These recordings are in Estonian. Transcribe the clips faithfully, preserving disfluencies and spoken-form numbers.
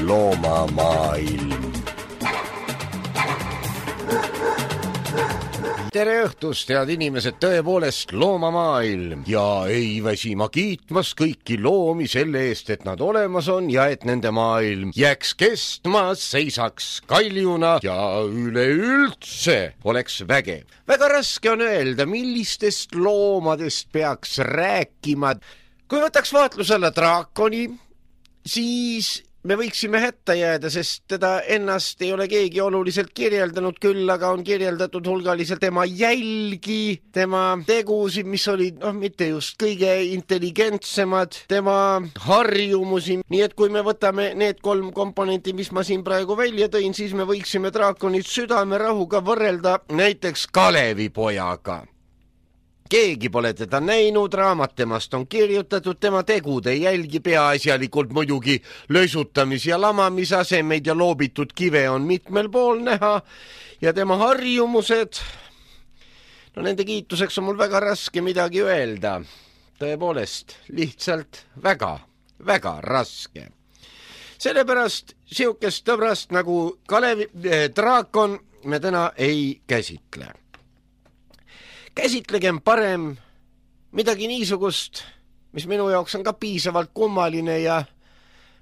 Loomamaailm. Tere õhtust, head inimesed, tõepoolest loomamaailm ja ei väsi ma kiitmas kõiki loomi selle eest, et nad olemas on ja et nende maailm jääks kestma, seisaks kaljuna ja üleüldse oleks vägev. Väga raske on öelda, millistest loomadest peaks rääkima. Kui võtaks vaatluse alla draakoni, siis me võiksime hätta jääda, sest teda ennast ei ole keegi oluliselt kirjeldanud, küll aga on kirjeldatud hulgaliselt tema jälgi, tema tegusid, mis olid noh, mitte just kõige intelligentsemad, tema harjumusi. Nii et kui me võtame need kolm komponenti, mis ma siin praegu välja tõin, siis me võiksime draakonit südamerahuga võrrelda näiteks Kalevipojaga. Keegi pole teda näinud, raamat temast on kirjutatud, tema tegud ei jälgi peaasjalikult muidugi lösutamis- ja lamamisasemeid ja loobitud kive on mitmel pool näha ja tema harjumused, no nende kiituseks on mul väga raske midagi öelda. Tõepoolest, lihtsalt väga, väga raske. Sellepärast siukest tõbrast nagu Kalevi eh, draakon me täna ei käsitle. Käsitlegem parem midagi niisugust, mis minu jaoks on ka piisavalt kummaline ja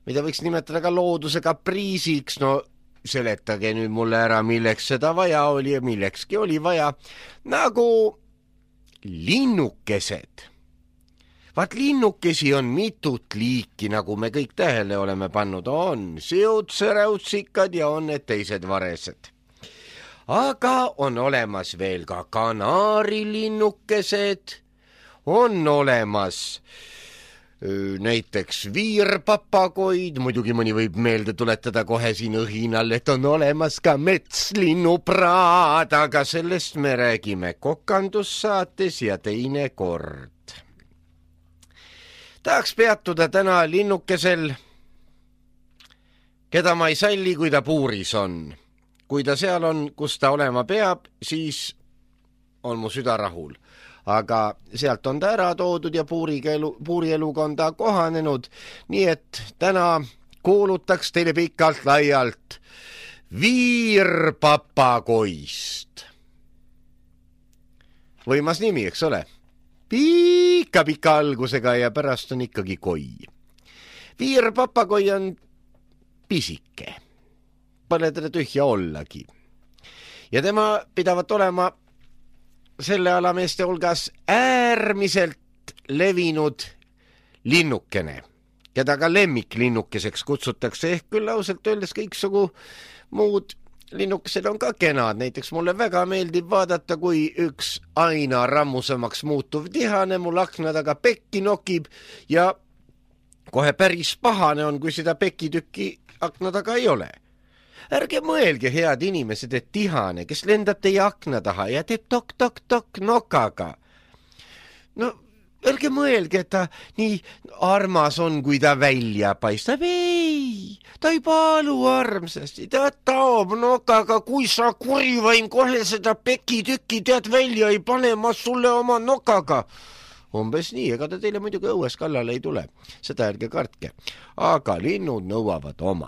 mida võiks nimetada ka looduse kapriisiks. No seletage nüüd mulle ära, milleks seda vaja oli ja millekski oli vaja. Nagu linnukesed. Vaat linnukesi on mitut liiki, nagu me kõik tähele oleme pannud. On siutsõräutsikad ja on need teised varesed. Aga on olemas veel ka kanaarilinnukesed, on olemas öö, näiteks viirpapagoid, muidugi mõni võib meelde tuletada kohe siin õhinal, et on olemas ka metslinnupraad, aga sellest me räägime kokandussaates ja teine kord. Tahaks peatuda täna linnukesel, keda ma ei salli, kui ta puuris on. Kui ta seal on, kus ta olema peab, siis on mu süda rahul. Aga sealt on ta ära toodud ja puurielu, puurieluga on ta kohanenud. Nii et täna kuulutaks teile pikalt laialt viirpapagoist. Võimas nimi, eks ole? Pika-pika algusega ja pärast on ikkagi koi. Viirpapagoi on pisike. Pole teda tühja ollagi. Ja tema pidavat olema selle alameeste hulgas äärmiselt levinud linnukene, keda ka lemmiklinnukeseks kutsutakse, ehk küll ausalt öeldes kõiksugu muud linnukesed on ka kenad. Näiteks mulle väga meeldib vaadata, kui üks aina rammusemaks muutuv tihane mul akna taga pekki nokib ja kohe päris pahane on, kui seda pekitükki akna taga ei ole. Ärge mõelge, head inimesed, et tihane, kes lendab teie akna taha ja teeb tok-tok-tok nokaga. No, ärge mõelge, et ta nii armas on, kui ta välja paistab. Ei, ta ei paalu armsasti, ta taob nokaga, kui sa kurivaim kohe seda pekitükki tead välja ei pane, ma sulle oma nokaga. Umbes nii, ega ta teile muidugi õues kallale ei tule, seda ärge kartke. Aga linnud nõuavad oma.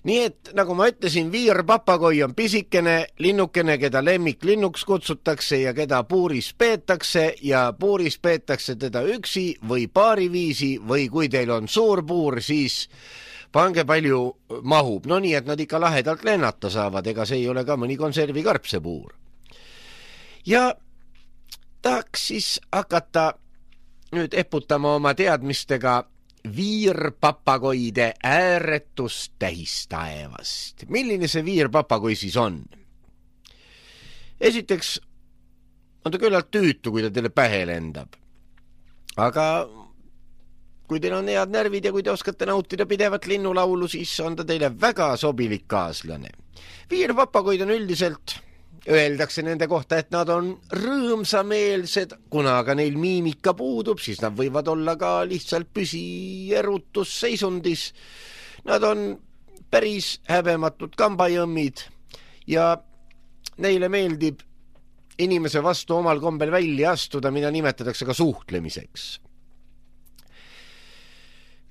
Nii et, nagu ma ütlesin, viirpapagoi on pisikene linnukene, keda lemmiklinnuks kutsutakse ja keda puuris peetakse ja puuris peetakse teda üksi või paariviisi või kui teil on suur puur, siis pange palju mahub. No nii, et nad ikka lahedalt lennata saavad, ega see ei ole ka mõni konservikarp see puur. Ja tahaks siis hakata nüüd eputama oma teadmistega viirpapagoide ääretust tähistaevast. Milline see viirpapagoi siis on? Esiteks on ta küllalt tüütu, kui ta teile pähe lendab. Aga kui teil on head närvid ja kui te oskate nautida pidevat linnulaulu, siis on ta teile väga sobilik kaaslane. Viirpapagoid on üldiselt, öeldakse nende kohta, et nad on rõõmsameelsed, kuna aga neil miimika puudub, siis nad võivad olla ka lihtsalt püsierutusseisundis. Nad on päris häbematud kambajõmmid ja neile meeldib inimese vastu omal kombel välja astuda, mida nimetatakse ka suhtlemiseks.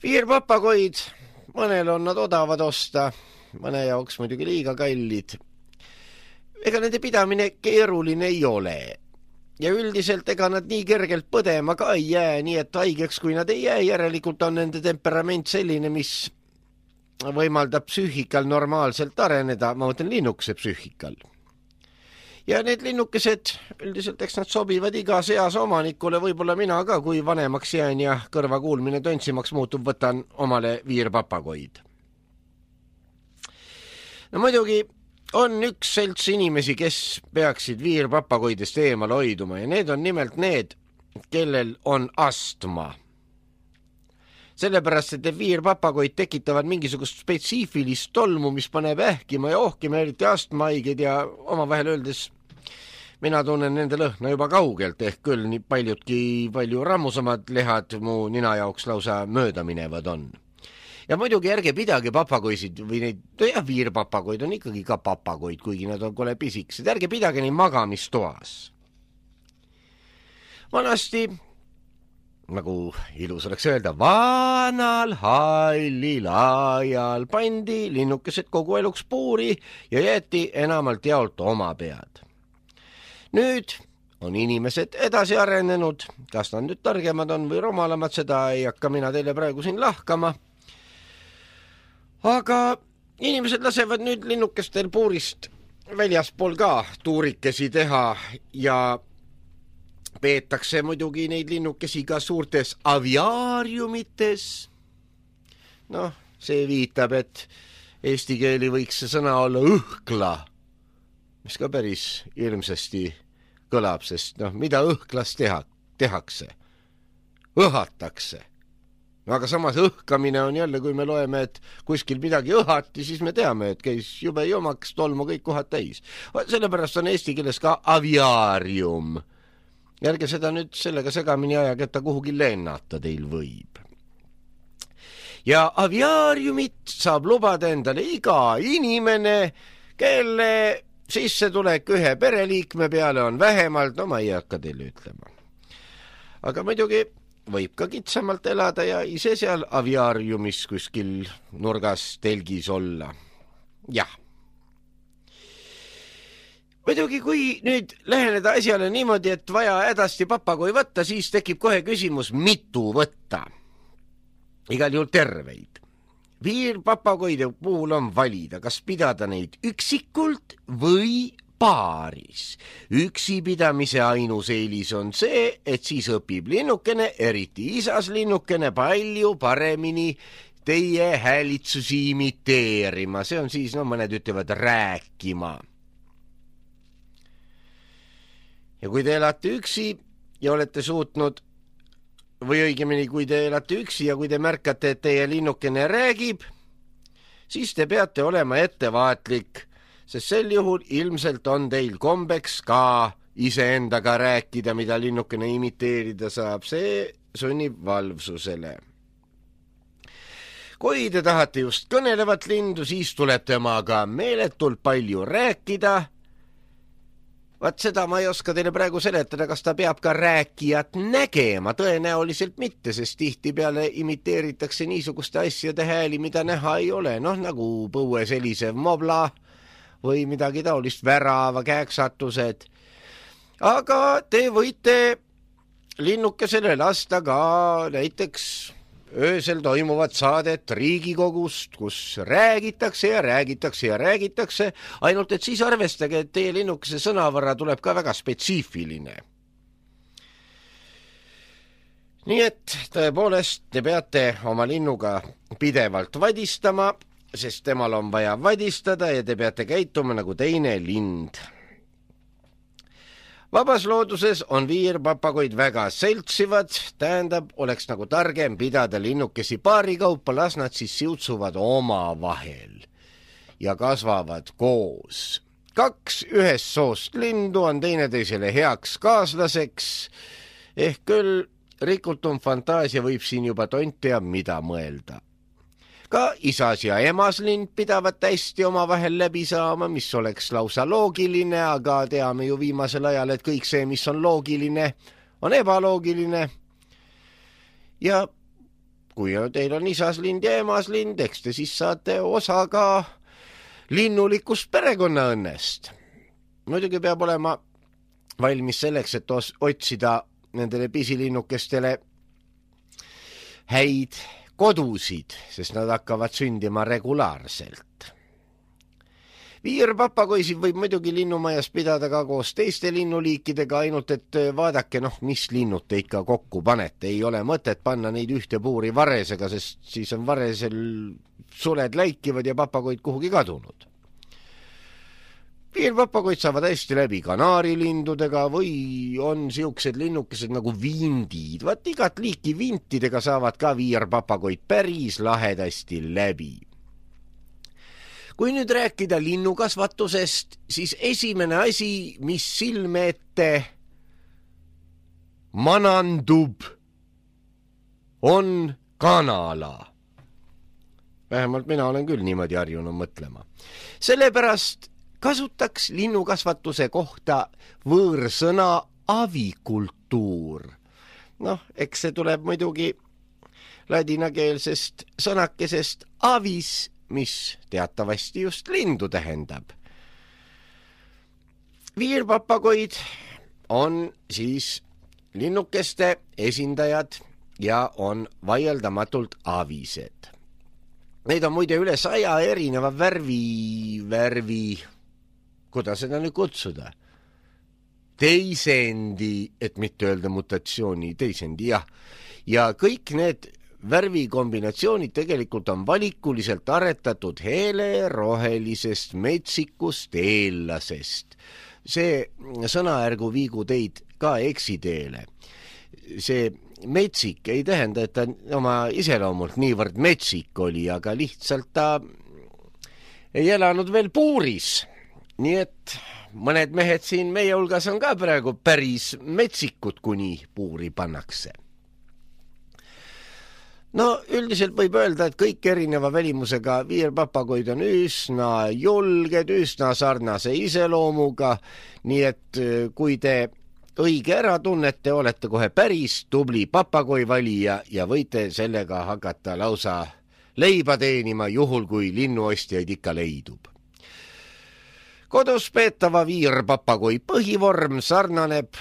Viirpapagoid, mõnel on nad odavad osta, mõne jaoks muidugi liiga kallid. Ega nende pidamine keeruline ei ole. Ja üldiselt ega nad nii kergelt põdema ka ei jää, nii et haigeks kui nad ei jää, järelikult on nende temperament selline, mis võimaldab psüühikal normaalselt areneda, ma mõtlen linnukese psüühikal. Ja need linnukesed, üldiselt eks nad sobivad iga seas omanikule, võib-olla mina ka, kui vanemaks jään ja kõrvakuulmine tönsimaks muutub, võtan omale viirpapagoid. No muidugi on üks selts inimesi, kes peaksid viirpapagoidest eemal hoiduma ja need on nimelt need, kellel on astma. Sellepärast, et viirpapagoid tekitavad mingisugust spetsiifilist tolmu, mis paneb ähkima ja ohkima, eriti astmahaiged ja omavahel öeldes mina tunnen nende lõhna juba kaugelt, ehk küll nii paljudki palju rammusamad lehad mu nina jaoks lausa mööda minevad on. Ja muidugi ärge pidage papagoisid või neid, ja viirpapagoid on ikkagi ka papagoid, kuigi nad on kole pisikesed, ärge pidage neid magamistoas. Vanasti, nagu ilus oleks öelda, vanal hallil ajal pandi linnukesed kogu eluks puuri ja jäeti enamalt jaolt oma pead. Nüüd on inimesed edasi arenenud, kas nad nüüd targemad on või rumalamad, seda ei hakka mina teile praegu siin lahkama. Aga inimesed lasevad nüüd linnukestel puurist väljaspool ka tuurikesi teha ja peetakse muidugi neid linnukesi ka suurtes aviaariumites. Noh, see viitab, et eesti keeli võiks see sõna olla õhkla, mis ka päris ilmsesti kõlab, sest noh, mida õhklas teha, tehakse? Õhatakse. No, aga samas õhkamine on jälle, kui me loeme, et kuskil midagi õhati, siis me teame, et käis jube jomaks, tolmu kõik kohad täis. Sellepärast on eesti keeles ka aviaarium. Järge seda nüüd sellega segamini ajaga, et ta kuhugi lennata teil võib. Ja aviaariumit saab lubada endale iga inimene, kelle sissetulek ühe pereliikme peale on vähemalt, no ma ei hakka teile ütlema. Aga muidugi võib ka kitsamalt elada ja ise seal aviaariumis kuskil nurgas telgis olla. Jah. Muidugi, kui nüüd läheneda asjale niimoodi, et vaja hädasti papagoi võtta, siis tekib kohe küsimus, mitu võtta. Igal juhul terveid. Viirpapagoide puhul on valida, kas pidada neid üksikult või paaris. Üksi pidamise ainus eelis on see, et siis õpib linnukene, eriti isas linnukene, palju paremini teie häälitsusi imiteerima. See on siis, no mõned ütlevad, rääkima. Ja kui te elate üksi ja olete suutnud, või õigemini, kui te elate üksi ja kui te märkate, et teie linnukene räägib, siis te peate olema ettevaatlik, sest sel juhul ilmselt on teil kombeks ka iseendaga rääkida, mida linnukene imiteerida saab. See sunnib valvsusele. Kui te tahate just kõnelevat lindu, siis tuleb temaga meeletult palju rääkida. Vaat seda ma ei oska teile praegu seletada, kas ta peab ka rääkijat nägema, tõenäoliselt mitte, sest tihti peale imiteeritakse niisuguste asjade hääli, mida näha ei ole, noh nagu põues helisev mobla või midagi taolist, värava kääksatused. Aga te võite linnukesele lasta ka näiteks öösel toimuvat saadet Riigikogust, kus räägitakse ja räägitakse ja räägitakse, ainult et siis arvestage, et teie linnukese sõnavara tuleb ka väga spetsiifiline. Nii et tõepoolest te peate oma linnuga pidevalt vadistama, sest temal on vaja vadistada ja te peate käituma nagu teine lind. Vabas looduses on viirpapagoid väga seltsivad, tähendab, oleks nagu targem pidada linnukesi paari kaupa, las nad siis siutsuvad oma vahel ja kasvavad koos. Kaks ühest soost lindu on teineteisele heaks kaaslaseks, ehk küll rikutum fantaasia võib siin juba tont teab mida mõelda. Ka isas ja emas lind pidavad hästi omavahel läbi saama, mis oleks lausa loogiline, aga teame ju viimasel ajal, et kõik see, mis on loogiline, on ebaloogiline. Ja kui teil on isas lind ja emas lind, eks te siis saate osa ka linnulikust perekonnaõnnest. Muidugi peab olema valmis selleks, et otsida nendele pisilinnukestele häid kodusid, sest nad hakkavad sündima regulaarselt. Viirpapagoisid võib muidugi linnumajas pidada ka koos teiste linnuliikidega, ainult et vaadake, noh, mis linnud te ikka kokku panete. Ei ole mõtet panna neid ühte puuri varesega, sest siis on varesel suled läikivad ja papagoid kuhugi kadunud. Viirpapagoid saavad hästi läbi kanaarilindudega või on siuksed linnukesed nagu vindid. Vaat igat liiki vintidega saavad ka viirpapagoid päris lahedasti läbi. Kui nüüd rääkida linnukasvatusest, siis esimene asi, mis silme ette manandub, on kanala. Vähemalt mina olen küll niimoodi harjunud mõtlema. Sellepärast kasutaks linnukasvatuse kohta võõrsõna avikultuur. Noh, eks see tuleb muidugi ladinakeelsest sõnakesest avis, mis teatavasti just lindu tähendab. Viirpapagoid on siis linnukeste esindajad ja on vaieldamatult avised. Neid on muide üle saja erineva värvi, värvi, kuidas seda nüüd kutsuda? Teisendi, et mitte öelda mutatsiooni, teisendi, jah. Ja kõik need värvikombinatsioonid tegelikult on valikuliselt aretatud hele rohelisest metsikust eellasest. See sõnaärgu viigu teid ka eksiteele. See metsik ei tähenda, et ta oma iseloomult niivõrd metsik oli, aga lihtsalt ta ei elanud veel puuris. Nii et mõned mehed siin meie hulgas on ka praegu päris metsikud, kuni puuri pannakse. No üldiselt võib öelda, et kõik erineva välimusega viirpapagoid on üsna julged, üsna sarnase iseloomuga, nii et kui te õige ära tunnete, olete kohe päris tubli papagoi valija ja võite sellega hakata lausa leiba teenima, juhul kui linnuostjaid ikka leidub. Kodus peetava viirpapagoi põhivorm sarnaneb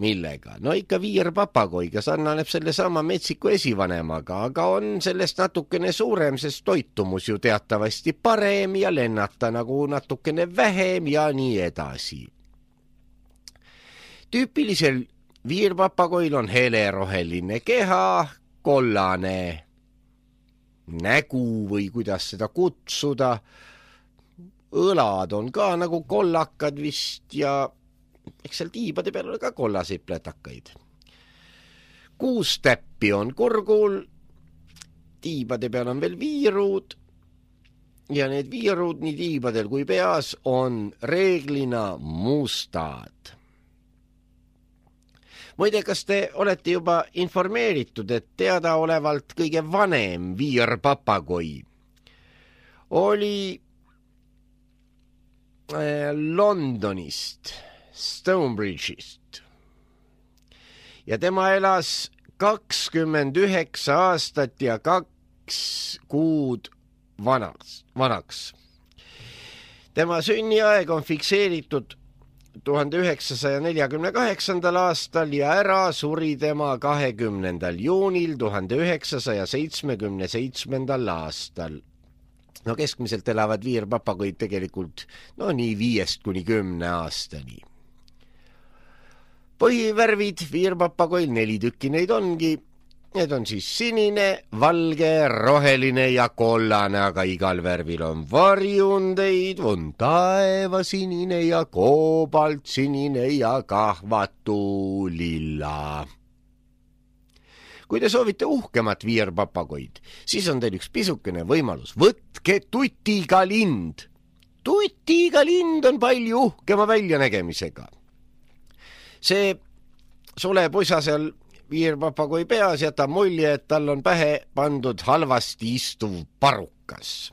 millega? No ikka viirpapagoiga sarnaneb selle sama metsiku esivanemaga, aga on sellest natukene suurem, sest toitumus ju teatavasti parem ja lennata nagu natukene vähem ja nii edasi. Tüüpilisel viirpapagoil on heleroheline keha, kollane nägu või kuidas seda kutsuda. Õlad on ka nagu kollakad vist ja eks seal tiibade peal ole ka kollaseid plätakaid. Kuus täppi on kurgul, tiibade peal on veel viirud ja need viirud nii tiibadel kui peas on reeglina mustad. Muide, kas te olete juba informeeritud, et teadaolevalt kõige vanem viirpapagoi oli Londonist, Stonebridge'ist. Ja tema elas kakskümmend üheksa aastat ja kaks kuud vanaks. vanaks. Tema sünniaeg on fikseeritud tuhande üheksasaja neljakümne kaheksandal aastal ja ära suri tema kahekümnendal juunil tuhande üheksasaja seitsmekümne seitsmendal aastal. No keskmiselt elavad viirpapagoid tegelikult no nii viiest kuni kümne aastani. Põhivärvid viirpapagoil neli tükki neid ongi. Need on siis sinine, valge, roheline ja kollane, aga igal värvil on varjundeid, on taevasinine ja koobaltsinine ja kahvatu lilla. Kui te soovite uhkemat viirpapagoid, siis on teil üks pisukene võimalus. Võtke tutiga lind. Tutiga lind on palju uhkema väljanägemisega. See sulepusa seal viirpapagoi peas jätab mulje, et tal on pähe pandud halvasti istuv parukas.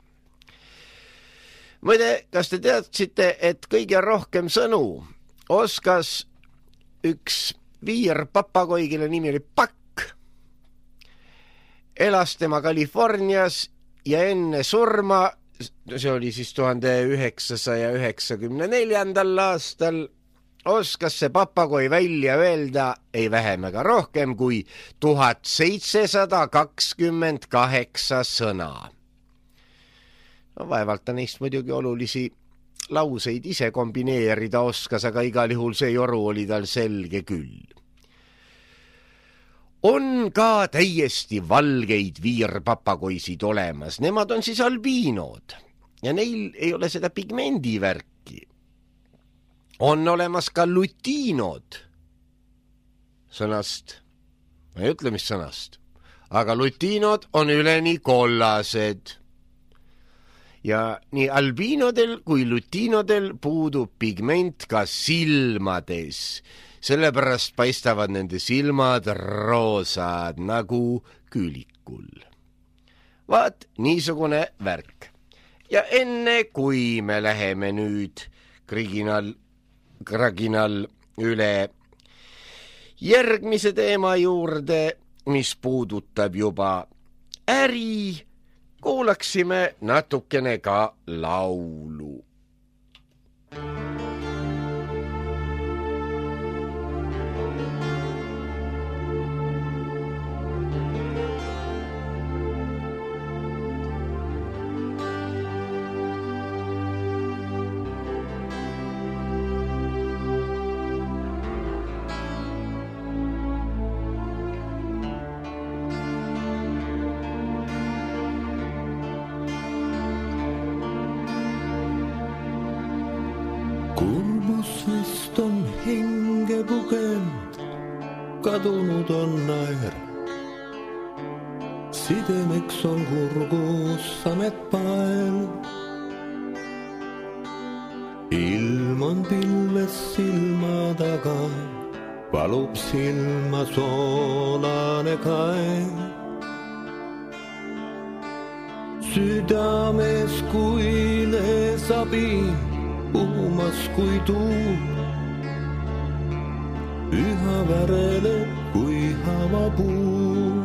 Muide, kas te teadsite, et kõige rohkem sõnu oskas üks viirpapagoi, kelle nimi oli Pakk? Elas tema Californias ja enne surma, see oli siis tuhande üheksasaja üheksakümne neljandal aastal, oskas see papagoi välja öelda ei vähem ega rohkem kui tuhat seitsesada kakskümmend kaheksa sõna. No, vaevalt ta neist muidugi olulisi lauseid ise kombineerida oskas, aga igal juhul see joru oli tal selge küll. On ka täiesti valgeid viirpapagoisid olemas, nemad on siis albiinod ja neil ei ole seda pigmendivärki. On olemas ka lutiinod sõnast, ma ei ütle mis sõnast, aga lutiinod on üleni kollased. Ja nii albiinodel kui lutiinodel puudub pigment ka silmades, sellepärast paistavad nende silmad roosad nagu küülikul. Vaat niisugune värk. Ja enne kui me läheme nüüd kriginal, kraginal üle järgmise teema juurde, mis puudutab juba äri, kuulaksime natukene ka laulu. Kurbusvist on hinge pugend, kadunud on naer. Sidemeks on kurgus sametpael. Ilm on pilves silma taga, valub silma soolane kae. Südames kui leesabi, puhumas kui tuul, üha värele kui havapuu.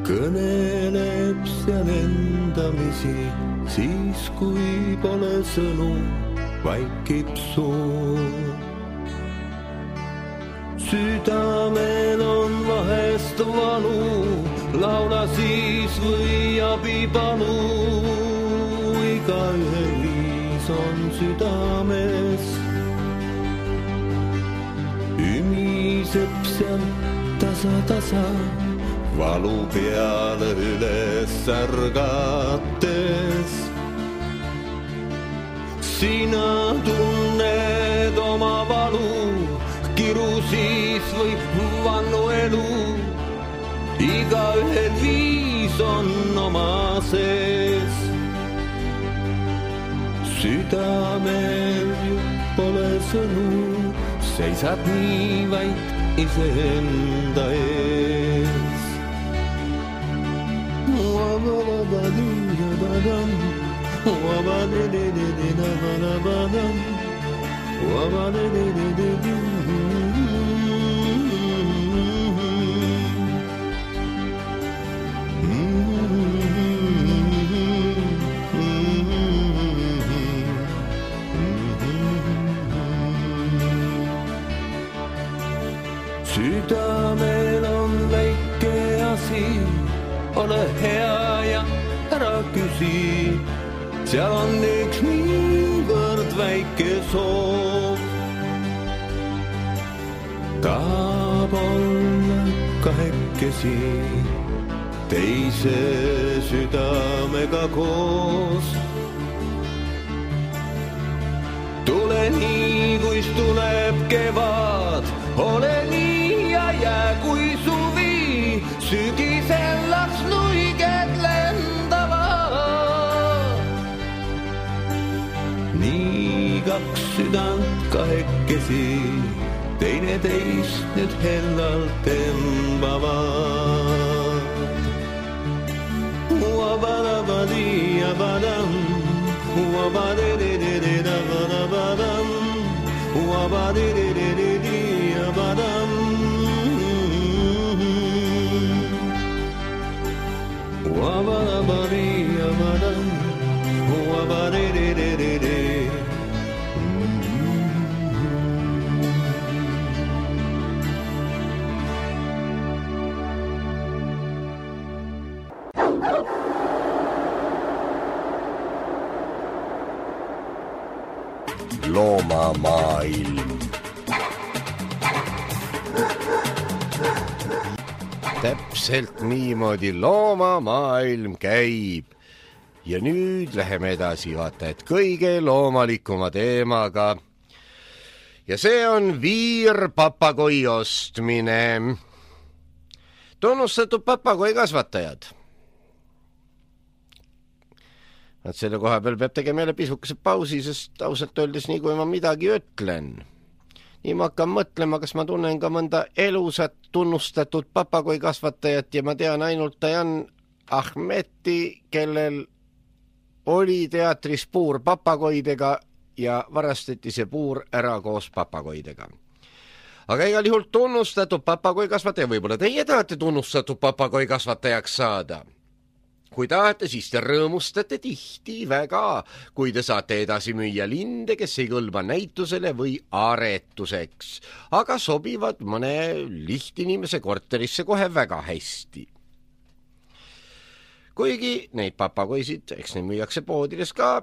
Kõneleb seal endamisi, siis kui pole sõnu, vaikib suu. Südamel on vahest valu, laula siis või abi palu. Igaühel viis on südames, ümiseb seal tasa-tasa, valu peale üles ärgates. Sina tunned oma valu, kiru siis võib vannu elu. Igaühel viis on oma sees. Südamel ju pole sõnu, seisad nii vaid iseenda ees. Wabadadadadadam, wabadadadadadadam, wabadadadadadadam. Südamel on väike asi, ole hea ja ära küsi. Seal on üks niivõrd väike soov. Tahab olla kahekesi, teise südamega koos. Tule nii, kuis tuleb kevad, ole nii ja jää kui suvi, sügisel las nuiged lendavad. Nii kaks südant kahekesi, teine teist nüüd hellalt tõmbavad. Uabadabadiyabadam, uabadididididabadabadam, uabadididididabadam. Uabadabadiyabadam, uabadidididididabadam. Loomamaailm. Täpselt niimoodi loomamaailm käib. Ja nüüd läheme edasi vaata, et kõige loomalikuma teemaga. Ja see on viirpapagoi ostmine. Tunnustatud papagoi kasvatajad. Et selle koha peal peab tegema jälle pisukese pausi, sest ausalt öeldes nii kui ma midagi ütlen. Nii ma hakkan mõtlema, kas ma tunnen ka mõnda elusat tunnustatud papagoi kasvatajat ja ma tean ainult Dayan Ahmeti, kellel oli teatris puur papagoidega ja varastati see puur ära koos papagoidega. Aga igal juhul tunnustatud papagoi kasvataja, võib-olla teie tahate tunnustatud papagoi kasvatajaks saada. Kui tahate, siis te rõõmustate tihti väga, kui te saate edasi müüa linde, kes ei kõlba näitusele või aretuseks, aga sobivad mõne lihtinimese korterisse kohe väga hästi. Kuigi neid papagoisid, eks neid müüakse poodides ka,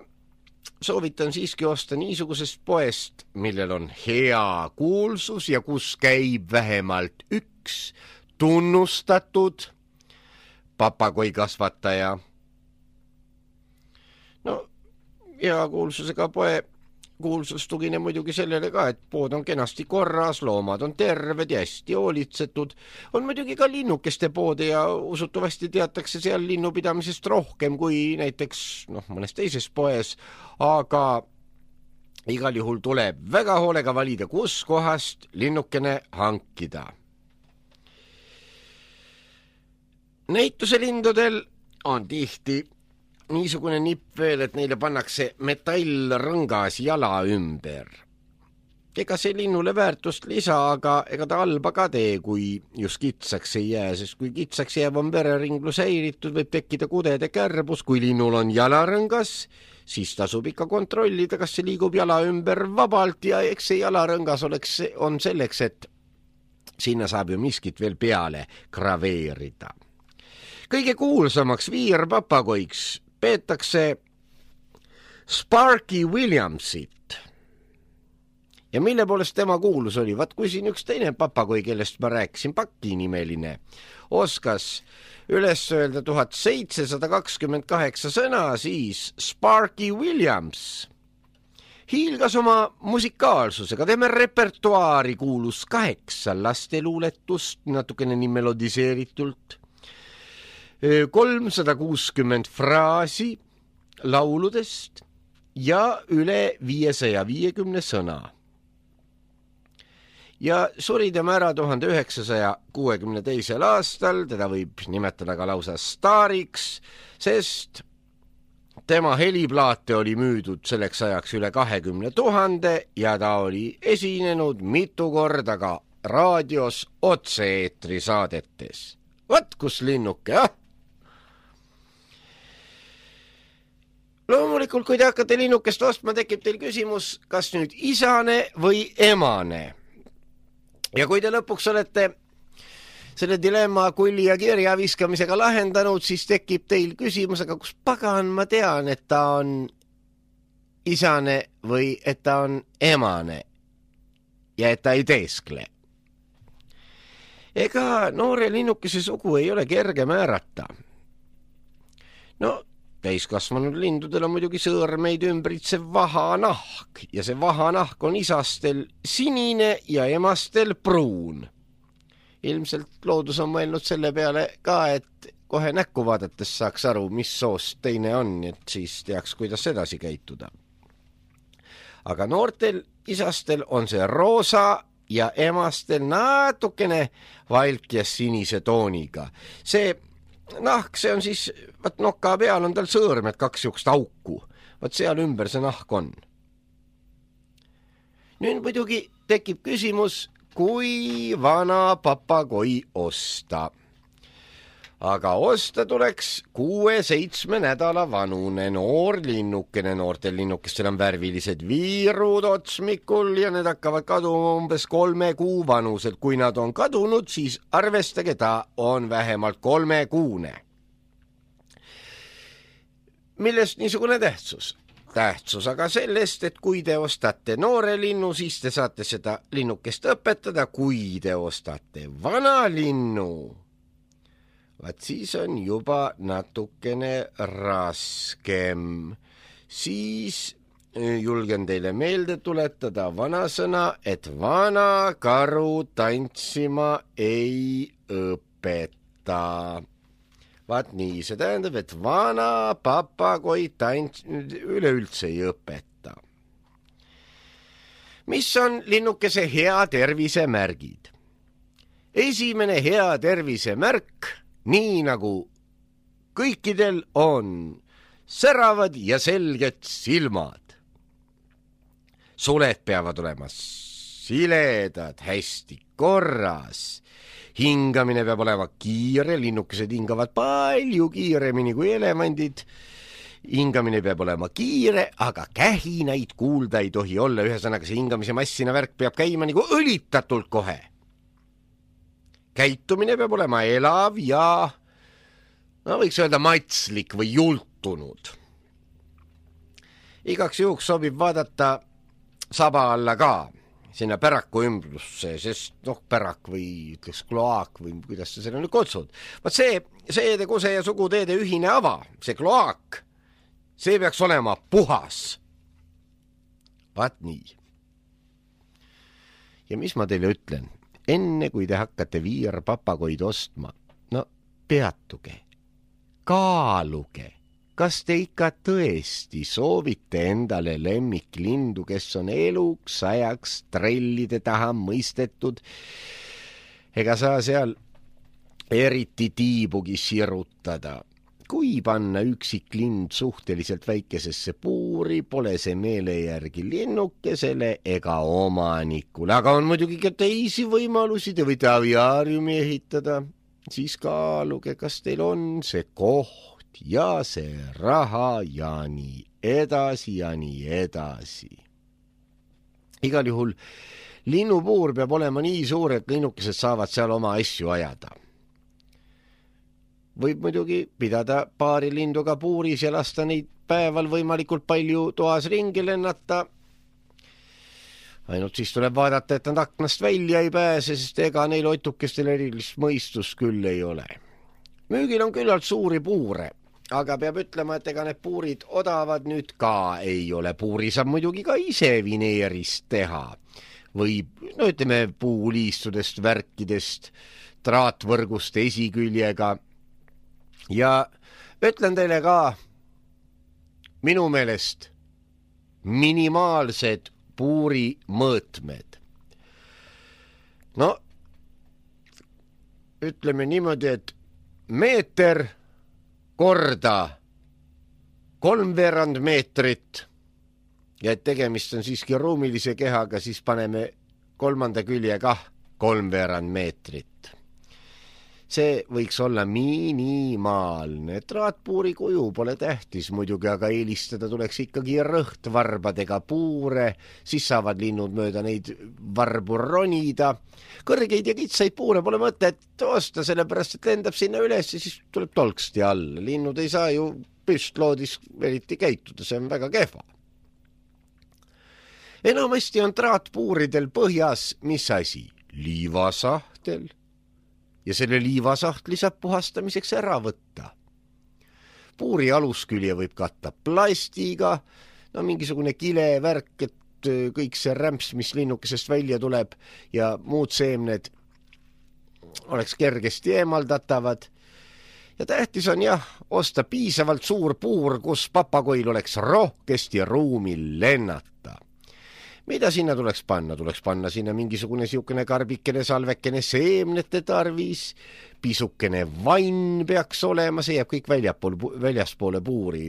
soovitan siiski osta niisugusest poest, millel on hea kuulsus ja kus käib vähemalt üks tunnustatud papagoi kasvataja. No, hea kuulsusega poe kuulsus tugine muidugi sellele ka, et pood on kenasti korras, loomad on terved ja hästi hoolitsetud. On muidugi ka linnukeste poode ja usutavasti teatakse seal linnupidamisest rohkem kui näiteks noh, mõnes teises poes, aga igal juhul tuleb väga hoolega valida, kus kohast linnukene hankida. Näituse lindudel on tihti niisugune nipp veel, et neile pannakse metallrõngas jala ümber. Ega see linnule väärtust lisa, aga ega ta halba ka tee, kui just kitsaks ei jää, sest kui kitsaks jääb on vereringlus häiritud, võib tekkida kudede kärbus. Kui linnul on jalarõngas, siis tasub ikka kontrollida, kas see liigub jala ümber vabalt ja eks see jalarõngas oleks, on selleks, et sinna saab ju miskit veel peale graveerida. Kõige kuulsamaks viirpapagoiks peetakse Sparky Williamsit. Ja mille poolest tema kuulus oli? Vaat kui siin üks teine papagoi, kellest ma rääkisin, Paki nimeline, oskas üles öelda tuhat seitsesada kakskümmend kaheksa sõna, siis Sparky Williams hiilgas oma musikaalsusega. Tema repertuaari kuulus kaheksa lasteluuletust, natukene nii melodiseeritult, kolmsada kuuskümmend fraasi lauludest ja üle viiesaja viiekümne sõna. Ja suri tema ära tuhande üheksasaja kuuekümne teisel aastal, teda võib nimetada ka lausa staariks, sest tema heliplaate oli müüdud selleks ajaks üle kahekümne tuhande ja ta oli esinenud mitu korda ka raadios otse-eetri saadetes. Vat kus linnuke, ah! Loomulikult, kui te hakkate linnukest ostma, tekib teil küsimus, kas nüüd isane või emane. Ja kui te lõpuks olete selle dilemma kulli ja kirja viskamisega lahendanud, siis tekib teil küsimus, aga kus pagan ma tean, et ta on isane või et ta on emane ja et ta ei teeskle. Ega noore linnukese sugu ei ole kerge määrata. No, täiskasvanud lindudel on muidugi sõõrmeid ümbritsev vahanahk ja see vahanahk on isastel sinine ja emastel pruun. Ilmselt loodus on mõelnud selle peale ka, et kohe näkku vaadates saaks aru, mis soost teine on, et siis teaks, kuidas edasi käituda. Aga noortel isastel on see roosa ja emastel natukene valk ja sinise tooniga. See nahk, see on siis, võt noka peal on tal sõõrmed, kaks juhust auku. Võt seal ümber see nahk on. Nüüd muidugi tekib küsimus, kui vana papagoi osta. Aga osta tuleks kuue-seitsme nädala vanune noor linnukene. Noortel linnukestel on värvilised viirud otsmikul ja need hakkavad kaduma umbes kolme kuu vanuselt. Kui nad on kadunud, siis arvestage, ta on vähemalt kolme kuune. Millest niisugune tähtsus? Tähtsus aga sellest, et kui te ostate noore linnu, siis te saate seda linnukest õpetada. Kui te ostate vana linnu, vaat siis on juba natukene raskem. Siis julgen teile meelde tuletada vanasõna, et vana karu tantsima ei õpeta. Vaat nii, see tähendab, et vana papagoi tants üleüldse ei õpeta. Mis on linnukese hea tervise märgid? Esimene hea tervise märk, nii nagu kõikidel, on säravad ja selged silmad. Suled peavad olema siledad, hästi korras. Hingamine peab olema kiire, linnukesed hingavad palju kiiremini kui elevandid. Hingamine peab olema kiire, aga kähinaid kuulda ei tohi olla. Ühesõnaga see hingamise massina värk peab käima nagu õlitatult kohe. Käitumine peab olema elav ja, no võiks öelda, matslik või jultunud. Igaks juhuks sobib vaadata saba alla ka. Sinna päraku ümbrusse, sest noh, pärak või ütleks kloaak või kuidas sa selle nüüd kutsud. Vaat see seede, kuse ja suguteede ühine ava, see kloaak, see peaks olema puhas. Vaat nii. Ja mis ma teile ütlen? Enne kui te hakkate viirpapagoid ostma, no peatuge, kaaluge. Kas te ikka tõesti soovite endale lemmiklindu, kes on eluks ajaks trellide taha mõistetud, ega saa seal eriti tiibugi sirutada? Kui panna üksik lind suhteliselt väikesesse puuri, pole see meele järgi linnukesele ega omanikule, aga on muidugi ka teisi võimalusi, te võite aviaariumi ehitada, siis kaaluge, kas teil on see koht ja see raha ja nii edasi ja nii edasi. Igal juhul linnupuur peab olema nii suur, et linnukesed saavad seal oma asju ajada. Võib muidugi pidada paari linduga puuris ja lasta neid päeval võimalikult palju toas ringi lennata. Ainult siis tuleb vaadata, et nad aknast välja ei pääse, sest ega neil otukestel erilist mõistust küll ei ole. Müügil on küllalt suuri puure. Aga peab ütlema, et ega need puurid odavad nüüd ka ei ole. Puuri saab muidugi ka ise vineerist teha. Või, no ütleme, puuliistudest, värkidest, traatvõrgust esiküljega. Ja ütlen teile ka minu meelest minimaalsed puuri mõõtmed. No, ütleme niimoodi, et meeter korda kolmveerand meetrit ja et tegemist on siiski ruumilise kehaga, siis paneme kolmanda külje kah kolmveerand meetrit. See võiks olla minimaalne. Traatpuuri kuju pole tähtis muidugi, aga eelistada tuleks ikkagi rõhtvarbadega puure, siis saavad linnud mööda neid varbu ronida. Kõrgeid ja kitsaid puure pole mõtet osta, sellepärast et lendab sinna üles ja siis tuleb tolksti alla. Linnud ei saa ju püstloodis eriti käituda, see on väga kehva. Enamasti on traatpuuridel põhjas mis asi? Liivasahtel. Ja selle liivasahtli saab puhastamiseks ära võtta. Puuri aluskülje võib katta plastiga, no mingisugune kilevärk, et kõik see rämps, mis linnukesest välja tuleb ja muud seemned oleks kergesti eemaldatavad. Ja tähtis on jah, osta piisavalt suur puur, kus papagoil oleks rohkesti ruumi lennata. Mida sinna tuleks panna? Tuleks panna sinna mingisugune siukene karbikene salvekene seemnete tarvis, pisukene vann peaks olema, see jääb kõik väljapool, väljaspoole puuri,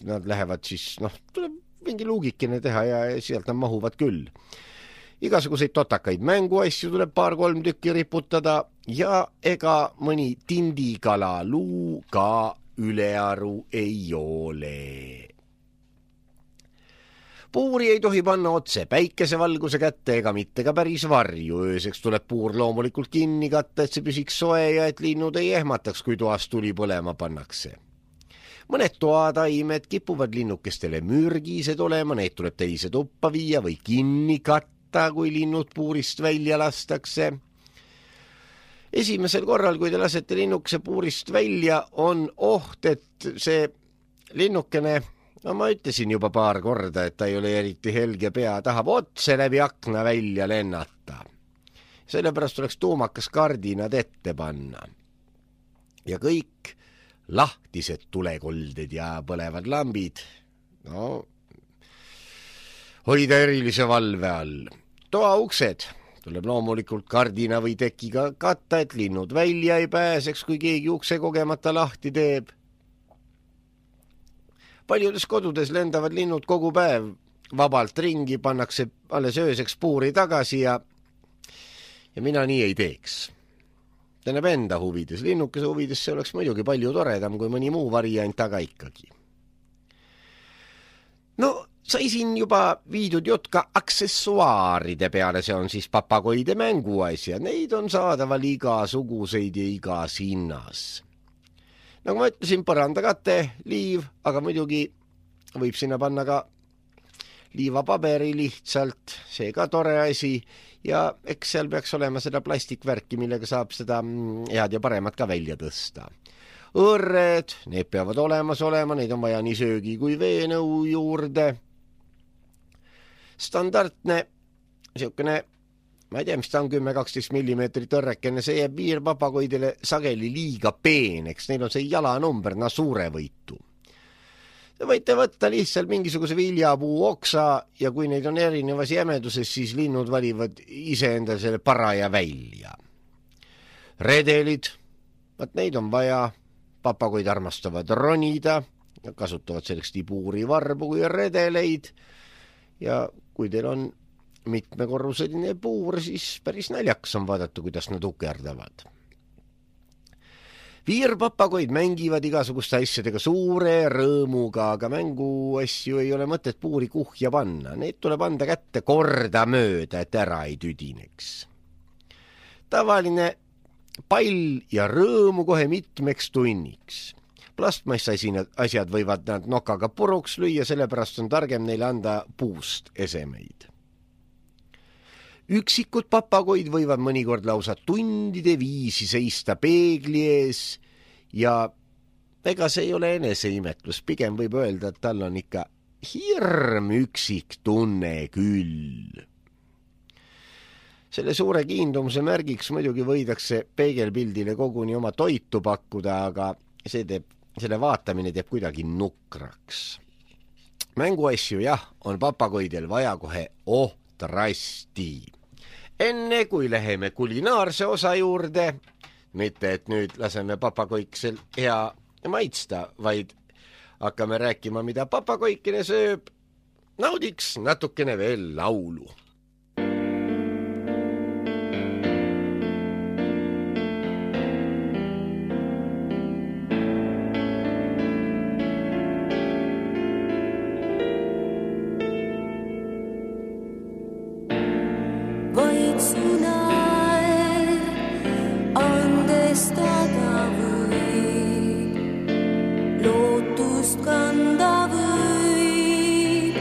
nad lähevad siis, noh, tuleb mingi luugikene teha ja sealt nad mahuvad küll. Igasuguseid totakaid mänguasju tuleb paar-kolm tükki riputada ja ega mõni tindikala luu ka ülearu ei ole. Puuri ei tohi panna otse päikesevalguse kätte ega mitte ka päris varju. Ööseks tuleb puur loomulikult kinni katta, et see püsiks soe ja et linnud ei ehmataks, kui toas tuli põlema pannakse. Mõned toataimed kipuvad linnukestele mürgised olema, neid tuleb teise tuppa viia või kinni katta, kui linnud puurist välja lastakse. Esimesel korral, kui te lasete linnukese puurist välja, on oht, et see linnukene, no ma ütlesin juba paar korda, et ta ei ole eriti helge pea, tahab otse läbi akna välja lennata. Sellepärast tuleks tuumakas kardinad ette panna. Ja kõik lahtised tulekolded ja põlevad lambid, no, hoida erilise valve all. Toa uksed tuleb loomulikult kardina või tekiga katta, et linnud välja ei pääseks, kui keegi ukse kogemata lahti teeb. Paljudes kodudes lendavad linnud kogu päev vabalt ringi, pannakse alles ööseks puuri tagasi ja, ja mina nii ei teeks. Tähendab enda huvides, linnukese huvides see oleks muidugi palju toredam kui mõni muu variant, aga ikkagi. No, sai siin juba viidud jutt ka aksessuaaride peale, see on siis papagoide mänguasja, neid on saadaval igasuguseid ja igas hinnas. Nagu ma ütlesin, põrandakate, liiv, aga muidugi võib sinna panna ka liivapaberi lihtsalt, see ka tore asi ja eks seal peaks olema seda plastikvärki, millega saab seda head ja paremat ka välja tõsta. Õrred, need peavad olemas olema, neid on vaja nii söögi kui veenõu juurde. Standardne, siukene, ma ei tea, mis ta on, kümme kaksteist millimeetrit õrrekene, see jääb viirpapagoidele sageli liiga peeneks, neil on see jalanumber, na suure võitu. Te võite võtta lihtsalt mingisuguse viljapuu oksa ja kui neid on erinevas jämeduses, siis linnud valivad iseendale selle paraja välja. Redelid, vaat neid on vaja, papagoid armastavad ronida, kasutavad selleks nii puuri varbu kui redeleid ja kui teil on mitmekorruseline puur, siis päris naljakas on vaadata, kuidas nad ukerdavad. Viirpapagoid mängivad igasuguste asjadega suure rõõmuga, aga mänguasju ei ole mõtet puuri kuhja panna. Need tuleb anda kätte korda mööda, et ära ei tüdineks. Tavaline pall ja rõõmu kohe mitmeks tunniks. Plastmass asjad võivad nad nokaga puruks lüüa, sellepärast on targem neile anda puust esemeid. Üksikud papagoid võivad mõnikord lausa tundide viisi seista peegli ees ja ega see ei ole eneseimetlus, pigem võib öelda, et tal on ikka hirm üksik tunne küll. Selle suure kiindumuse märgiks muidugi võidakse peegelpildile koguni oma toitu pakkuda, aga see teeb, selle vaatamine teeb kuidagi nukraks. Mänguasju jah, on papagoidel vaja kohe ohtrasti. Enne kui läheme kulinaarse osa juurde, mitte et nüüd laseme papagoiksel hea maitsta, vaid hakkame rääkima, mida papagoikene sööb, naudiks natukene veel laulu. Kanda võib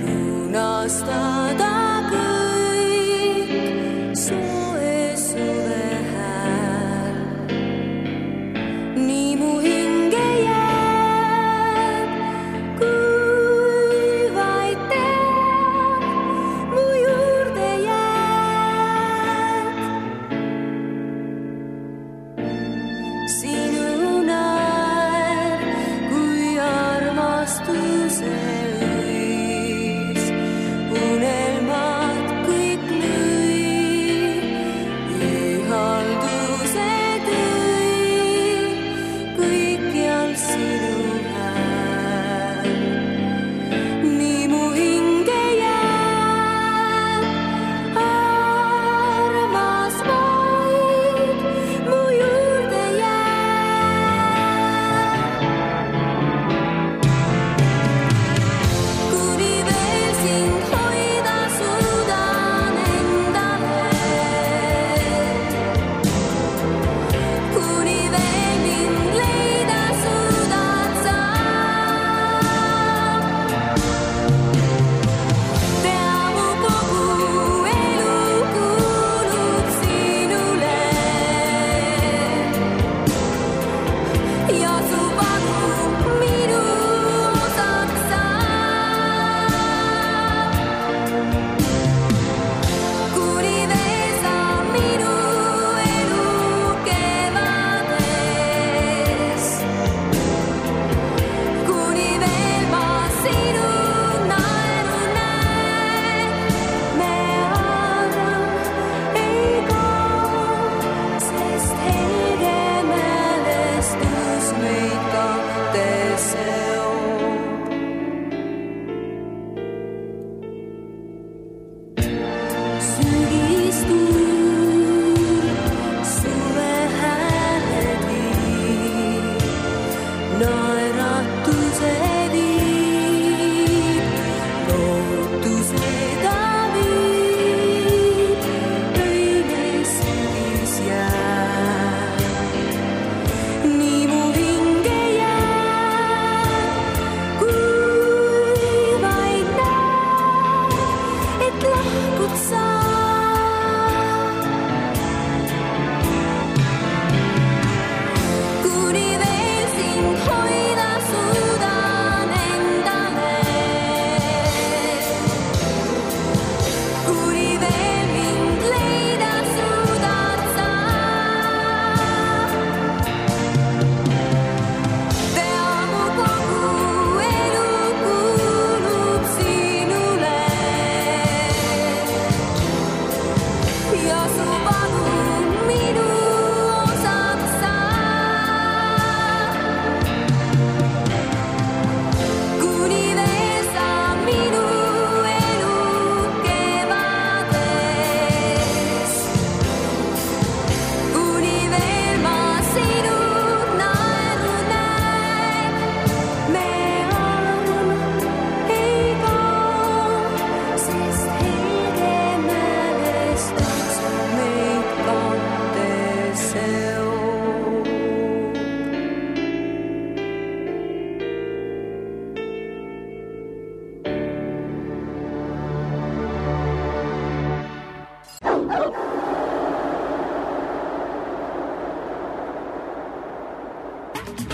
lunastada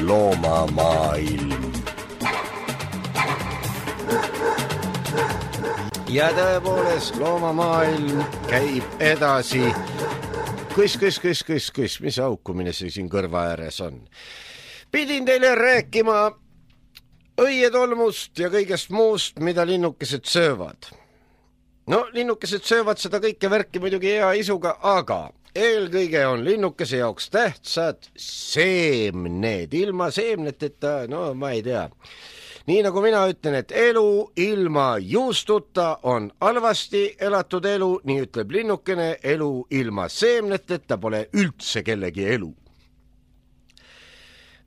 loomamaailm. Ja tõepoolest loomamaailm käib edasi. Kus, kus, kus, kus, kus, mis aukumine see siin kõrva ääres on? Pidin teile rääkima õietolmust ja kõigest muust, mida linnukesed söövad. No, linnukesed söövad seda kõike värki muidugi hea isuga, aga eelkõige on linnukese jaoks tähtsad seemned. Ilma seemneteta, no ma ei tea. Nii nagu mina ütlen, et elu ilma juustuta on halvasti elatud elu, nii ütleb linnukene, elu ilma seemneteta pole üldse kellegi elu.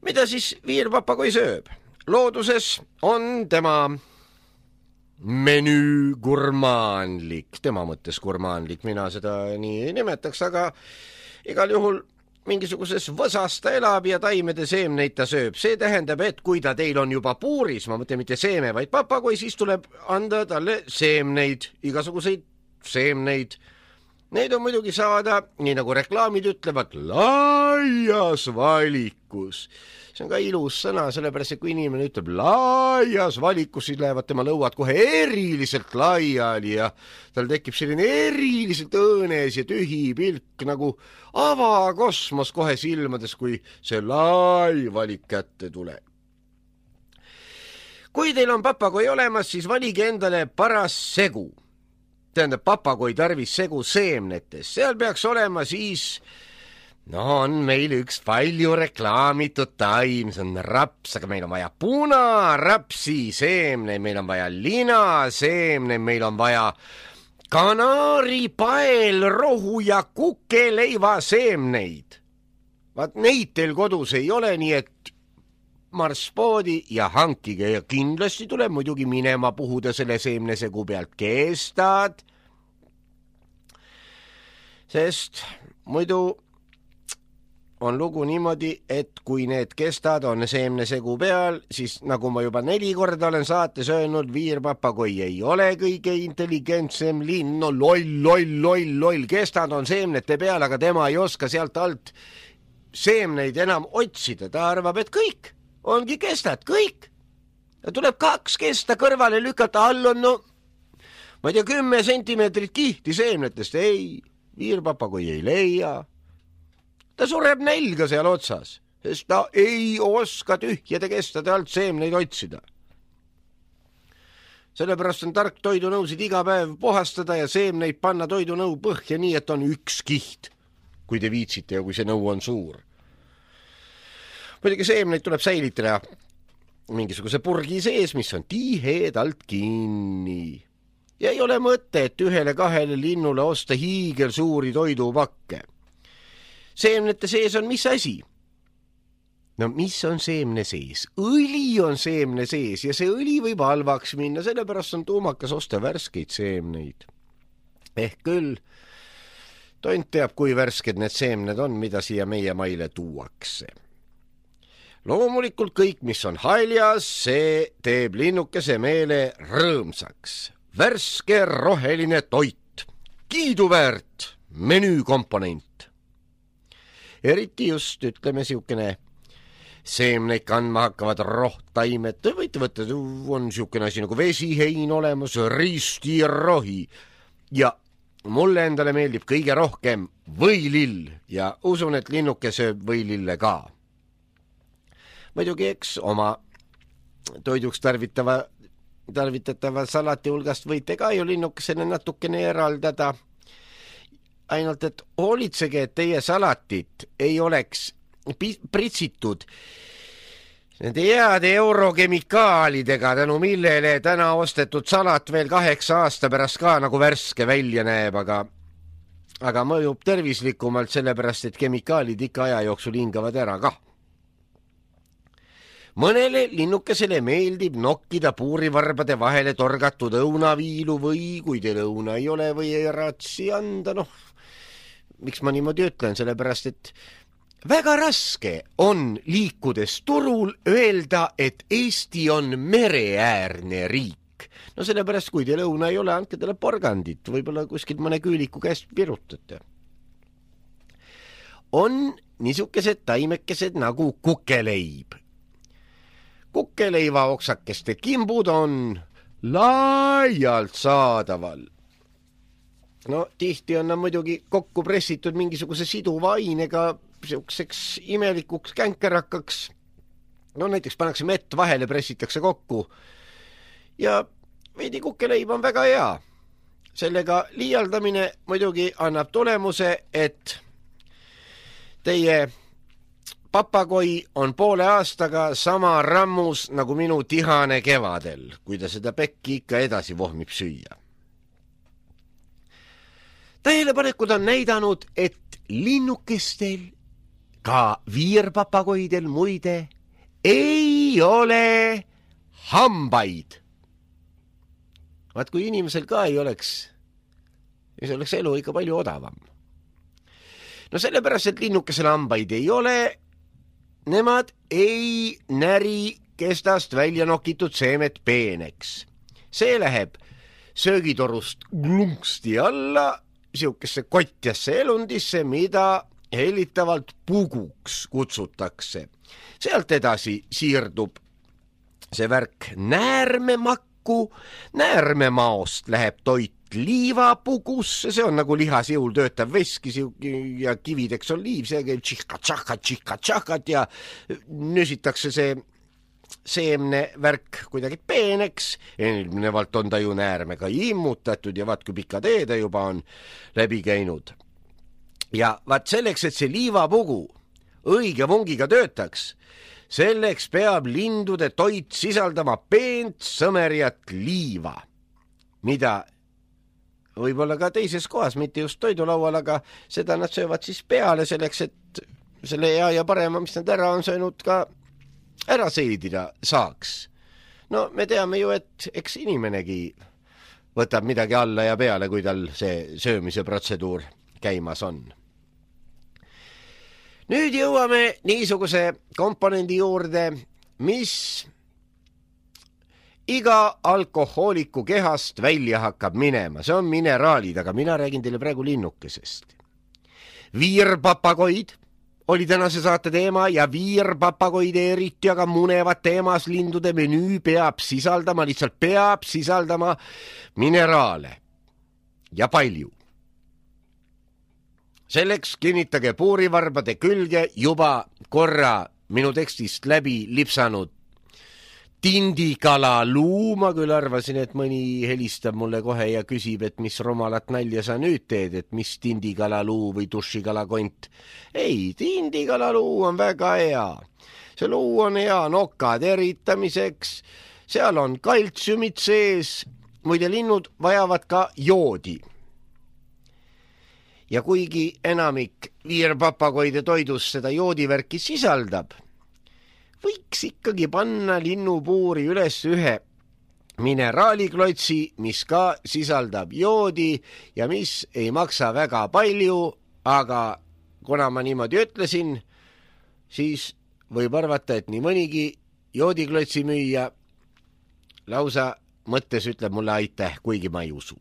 Mida siis viirpapagoi sööb? Looduses on tema menüü gurmaanlik, tema mõttes gurmaanlik, mina seda nii ei nimetaks, aga igal juhul mingisuguses võsas ta elab ja taimede seemneid ta sööb. See tähendab, et kui ta teil on juba puuris, ma mõtlen mitte seeme, vaid papagoi, siis tuleb anda talle seemneid, igasuguseid seemneid. Neid on muidugi saada, nii nagu reklaamid ütlevad, laias valikus. See on ka ilus sõna, sellepärast, et kui inimene ütleb laias valikus, siis lähevad tema lõuad kohe eriliselt laiali ja tal tekib selline eriliselt õõnes ja tühi pilk nagu avakosmos kohe silmades, kui see lai valik kätte tuleb. Kui teil on papagoi olemas, siis valige endale paras segu. Tähendab, papagoi tarvis segu seemnetes. Seal peaks olema siis... No on meil üks palju reklaamitud taim, see on raps, aga meil on vaja punarapsi seemne, meil on vaja lina seemne, meil on vaja kanaari, pael, rohu ja kukeleiva seemneid. Vaat neid teil kodus ei ole, nii et marspoodi ja hankige ja kindlasti tuleb muidugi minema puhuda selle seemnesegu pealt kestad, sest muidu on lugu niimoodi, et kui need kestad on seemnesegu peal, siis nagu ma juba neli korda olen saates öelnud, viirpapagoi ei ole kõige intelligentsem linn, no loll, loll, loll, loll, kestad on seemnete peal, aga tema ei oska sealt alt seemneid enam otsida, ta arvab, et kõik ongi kestad, kõik. Ja tuleb kaks kesta kõrvale lükata, all on, no, ma ei tea, kümme sentimeetrit kihti seemnetest, ei, viirpapagoi ei leia. Ta sureb nälga seal otsas, sest ta ei oska tühjade kestade alt seemneid otsida. Sellepärast on tark toidunõusid iga päev puhastada ja seemneid panna toidunõu põhja nii, et on üks kiht, kui te viitsite ja kui see nõu on suur. Muidugi seemneid tuleb säilitada mingisuguse purgi sees, mis on tihedalt kinni. Ja ei ole mõte, et ühele kahele linnule osta hiigel suuri toidupakke. Seemnete sees on mis asi? No mis on seemne sees? Õli on seemne sees ja see õli võib halvaks minna, sellepärast on tuumakas osta värskeid seemneid. Ehk küll, tont teab, kui värsked need seemned on, mida siia meie maile tuuakse. Loomulikult kõik, mis on haljas, see teeb linnukese meele rõõmsaks. Värske roheline toit, kiiduväärt menüükomponent. Eriti just, ütleme, siukene seemneid kandma hakkavad rohtaimed. Te võite võtta, on siukene asi nagu vesihein olemas, ristirohi. Ja mulle endale meeldib kõige rohkem võilill ja usun, et linnuke sööb võilille ka. Muidugi, eks oma toiduks tarvitava, tarvitatava salati hulgast võite ka ju linnukesele natukene eraldada. Ainult, et hoolitsege, et teie salatit ei oleks pritsitud nende heade eurokemikaalidega, tänu millele täna ostetud salat veel kaheksa aasta pärast ka nagu värske välja näeb, aga, aga mõjub tervislikumalt sellepärast, et kemikaalid ikka aja jooksul hingavad ära ka. Mõnele linnukesele meeldib nokkida puurivarbade vahele torgatud õunaviilu või kui teil õuna ei ole või ei ratsi anda, noh, miks ma niimoodi ütlen, sellepärast, et väga raske on liikudes turul öelda, et Eesti on mereäärne riik. No sellepärast, kui teil õuna ei ole, andke talle porgandit, võib-olla kuskilt mõne küüliku käest pirutate. On niisugused taimekesed nagu kukeleib. Kukeleiva oksakeste kimbud on laialt saadaval. No tihti on nad muidugi kokku pressitud mingisuguse siduva ainega siukseks imelikuks känkerakaks. No näiteks pannakse mett vahele, pressitakse kokku. Ja veidi kukeleib on väga hea. Sellega liialdamine muidugi annab tulemuse, et teie papagoi on poole aastaga sama rammus nagu minu tihane kevadel, kui ta seda pekki ikka edasi vohmib süüa. Tähelepanekud on näidanud, et linnukestel, ka viirpapagoidel muide, ei ole hambaid. Vaat kui inimesel ka ei oleks, siis oleks elu ikka palju odavam. No sellepärast, et linnukesel hambaid ei ole, nemad ei näri kestast välja nokitud seemet peeneks. See läheb söögitorust glungsti alla, siukesse kotjasse elundisse, mida hellitavalt puguks kutsutakse. Sealt edasi siirdub see värk näärmemakku, näärmemaost läheb toit liivapugusse, see on nagu lihasjõul töötav veski ja kivideks oliiv, see käib tšihka-tšahkat, tšihka-tšahkat ja nüsitakse see seemne värk kuidagi peeneks, eelnevalt on ta ju näärmega immutatud ja vaat kui pika tee ta juba on läbi käinud. Ja vaat selleks, et see liivapugu õige vungiga töötaks, selleks peab lindude toit sisaldama peent sõmerjat liiva, mida võib-olla ka teises kohas, mitte just toidulaual, aga seda nad söövad siis peale selleks, et selle hea ja parema, mis nad ära on söönud, ka ära seedida saaks. No me teame ju, et eks inimenegi võtab midagi alla ja peale, kui tal see söömise protseduur käimas on. Nüüd jõuame niisuguse komponendi juurde, mis iga alkohooliku kehast välja hakkab minema. See on mineraalid, aga mina räägin teile praegu linnukesest. Viirpapagoid oli tänase saate teema ja viirpapagoide eriti, aga munevate emaslindude menüü peab sisaldama, lihtsalt peab sisaldama mineraale ja palju. Selleks kinnitage puurivarbade külge juba korra minu tekstist läbi lipsanud tindikala luu. Ma küll arvasin, et mõni helistab mulle kohe ja küsib, et mis rumalat nalja sa nüüd teed, et mis tindikala luu või dušikala kont. Ei, tindikala luu on väga hea. See luu on hea nokad eritamiseks, seal on kaltsiumid sees, muide linnud vajavad ka joodi. Ja kuigi enamik viirpapagoide toidus seda joodivärki sisaldab, võiks ikkagi panna linnupuuri üles ühe mineraaliklotsi, mis ka sisaldab joodi ja mis ei maksa väga palju, aga kuna ma niimoodi ütlesin, siis võib arvata, et nii mõnigi joodiklotsi müüja lausa mõttes ütleb mulle aitäh, kuigi ma ei usu.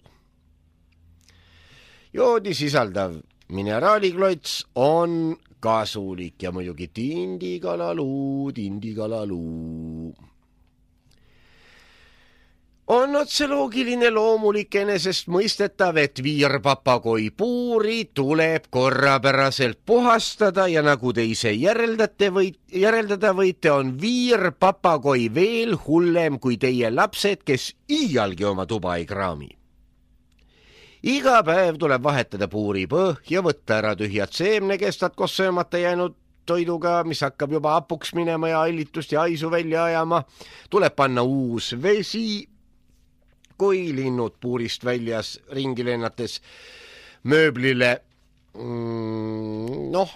Joodi sisaldav mineraaliklots on kasulik ja muidugi tindikalaluu, tindikalaluu. On otse loogiline loomulik enesest mõistetav, et viirpapagoi puuri tuleb korrapäraselt puhastada ja nagu te ise järeldate või, järeldada võite, on viirpapagoi veel hullem kui teie lapsed, kes iialgi oma tuba ei kraami. Iga päev tuleb vahetada puuri põhja, võtta ära tühjad seemnekestad koos söömata jäänud toiduga, mis hakkab juba hapuks minema ja allitust ja haisu välja ajama. Tuleb panna uus vesi, kui linnud puurist väljas ringi lennates mööblile, mm, noh,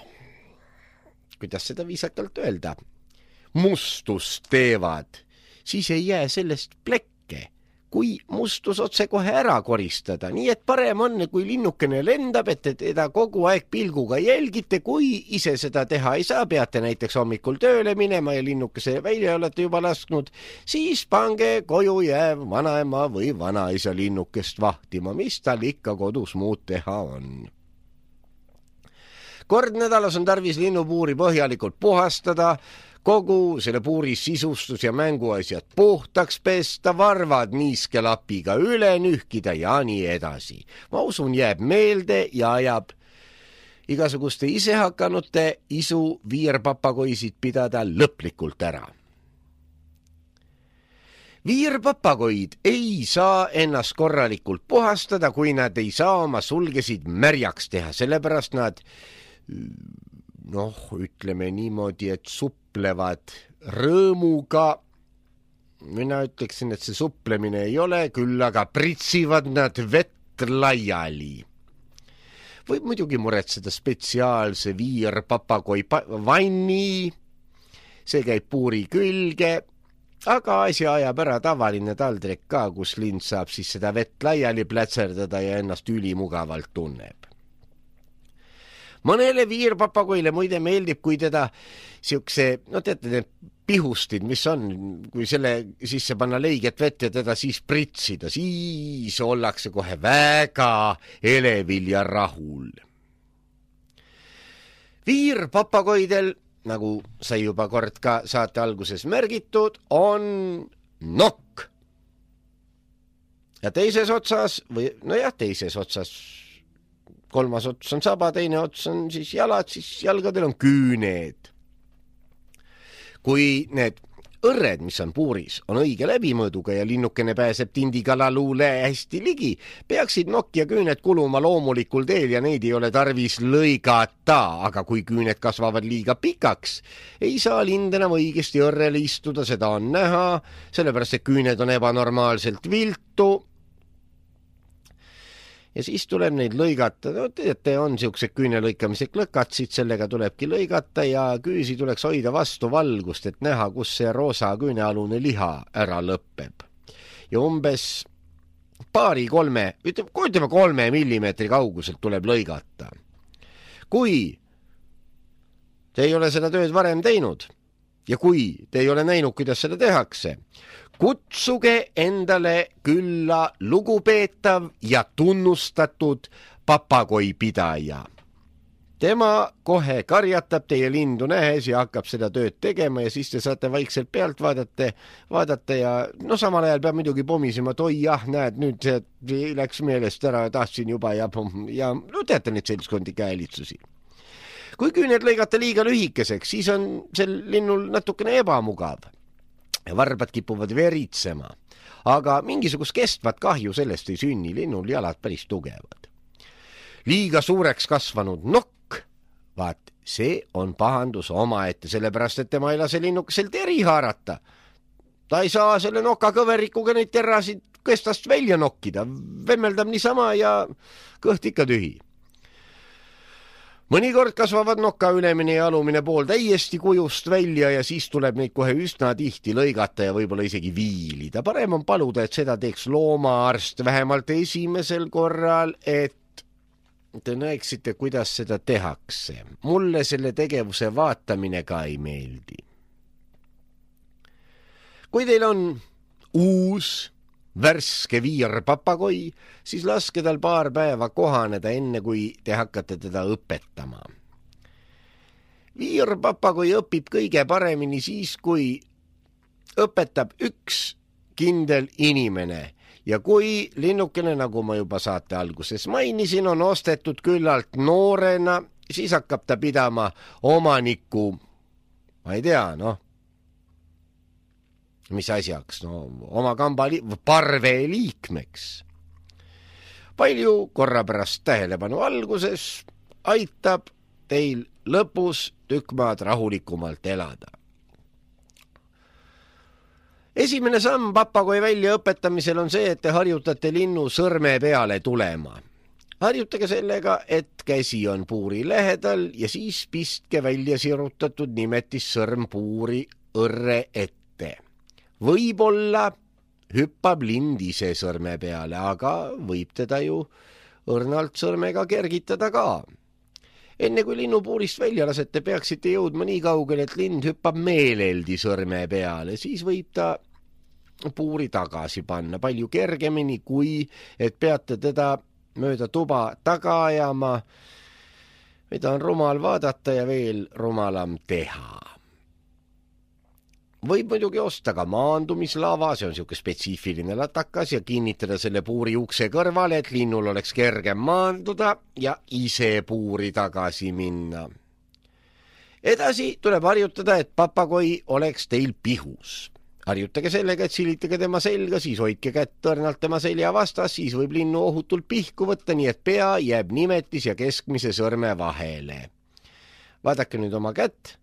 kuidas seda viisakalt öelda, mustust teevad, siis ei jää sellest plekke, kui mustus otse kohe ära koristada. Nii et parem on, kui linnukene lendab, et teda kogu aeg pilguga jälgite, kui ise seda teha ei saa, peate näiteks hommikul tööle minema ja linnukese välja olete juba lasknud, siis pange koju jääv vanaema või vanaisa linnukest vahtima, mis tal ikka kodus muud teha on. Kord nädalas on tarvis linnupuuri põhjalikult puhastada, kogu selle puuri sisustus ja mänguasjad puhtaks pesta, varvad niiskelapiga üle nühkida ja nii edasi. Ma usun, jääb meelde ja ajab igasuguste isehakkanute isu viirpapagoisid pidada lõplikult ära. Viirpapagoid ei saa ennast korralikult puhastada, kui nad ei saa oma sulgesid märjaks teha, sellepärast nad noh, ütleme niimoodi, et suplevad rõõmuga. Mina ütleksin, et see suplemine ei ole, küll aga pritsivad nad vett laiali. Võib muidugi muretseda spetsiaalse viirpapagoi vanni, see käib puuri külge, aga asja ajab ära tavaline taldrik ka, kus lind saab siis seda vett laiali plätserdada ja ennast ülimugavalt tunneb. Mõnele viirpapagoile muide meeldib, kui teda siukse, no teate, need pihustid, mis on, kui selle sisse panna leiget vett ja teda siis pritsida, siis ollakse kohe väga elevil ja rahul. Viirpapagoidel, nagu sai juba kord ka saate alguses märgitud, on nokk. Ja teises otsas, või no jah, teises otsas, kolmas ots on saba, teine ots on siis jalad, siis jalgadel on küüned. Kui need õrred, mis on puuris, on õige läbimõõduga ja linnukene pääseb tindikalaluule hästi ligi, peaksid nokk ja küüned kuluma loomulikul teel ja neid ei ole tarvis lõigata, aga kui küüned kasvavad liiga pikaks, ei saa lind enam õigesti õrrele istuda, seda on näha, sellepärast et küüned on ebanormaalselt viltu. Ja siis tuleb neid lõigata, no teate, on siuksed küüne lõikamise klõkatsid, sellega tulebki lõigata ja küüsi tuleks hoida vastu valgust, et näha, kus see roosa küünealune liha ära lõppeb. Ja umbes paari-kolme, ütleme kolme millimeetri kauguselt tuleb lõigata. Kui te ei ole seda tööd varem teinud ja kui te ei ole näinud, kuidas seda tehakse, kutsuge endale külla lugupeetav ja tunnustatud papagoipidaja. Tema kohe karjatab teie lindu nähes ja hakkab seda tööd tegema ja siis te saate vaikselt pealt vaadata, vaadata ja no samal ajal peab muidugi pomisema, et oi jah, näed, nüüd see läks meelest ära, tahtsin juba ja, ja no teate neid seltskondi käelitsusi. Kui küüned lõigata liiga lühikeseks, siis on sel linnul natukene ebamugav. Varbad kipuvad veritsema, aga mingisugust kestvat kahju sellest ei sünni, linnul jalad päris tugevad. Liiga suureks kasvanud nokk, vaat see on pahandus omaette, sellepärast et tema ei lase linnukesel teri haarata. Ta ei saa selle noka kõverikuga neid terasid kestast välja nokkida, vemmeldab niisama ja kõht ikka tühi. Mõnikord kasvavad noka ülemine ja alumine pool täiesti kujust välja ja siis tuleb neid kohe üsna tihti lõigata ja võib-olla isegi viilida. Parem on paluda, et seda teeks loomaarst vähemalt esimesel korral, et te näeksite, kuidas seda tehakse. Mulle selle tegevuse vaatamine ka ei meeldi. Kui teil on uus värske viirpapagoi, siis laske tal paar päeva kohaneda enne, kui te hakkate teda õpetama. Viirpapagoi õpib kõige paremini siis, kui õpetab üks kindel inimene ja kui linnukene, nagu ma juba saate alguses mainisin, on ostetud küllalt noorena, siis hakkab ta pidama omaniku, ma ei tea, noh, mis asjaks, no oma kamba li- parve liikmeks. Palju korra pärast tähelepanu alguses aitab teil lõpus tükk maad rahulikumalt elada. Esimene samm papagoi väljaõpetamisel on see, et te harjutate linnu sõrme peale tulema. Harjutage sellega, et käsi on puuri lähedal ja siis pistke välja sirutatud nimetis sõrm puuri õrre ette. Võib-olla hüppab lind ise sõrme peale, aga võib teda ju õrnalt sõrmega kergitada ka. Enne kui linnu puurist välja lasete, peaksite jõudma nii kaugel, et lind hüppab meeleldi sõrme peale, siis võib ta puuri tagasi panna palju kergemini, kui et peate teda mööda tuba taga ajama mida on rumal vaadata ja veel rumalam teha. Võib muidugi osta ka maandumislava, see on niisugune spetsiifiline latakas ja kinnitada selle puuri ukse kõrvale, et linnul oleks kergem maanduda ja ise puuri tagasi minna. Edasi tuleb harjutada, et papagoi oleks teil pihus. Harjutage sellega, et silitage tema selga, siis hoidke kätt tõrnalt tema selja vastas, siis võib linnu ohutult pihku võtta, nii et pea jääb nimetis ja keskmise sõrme vahele. Vaadake nüüd oma kätt.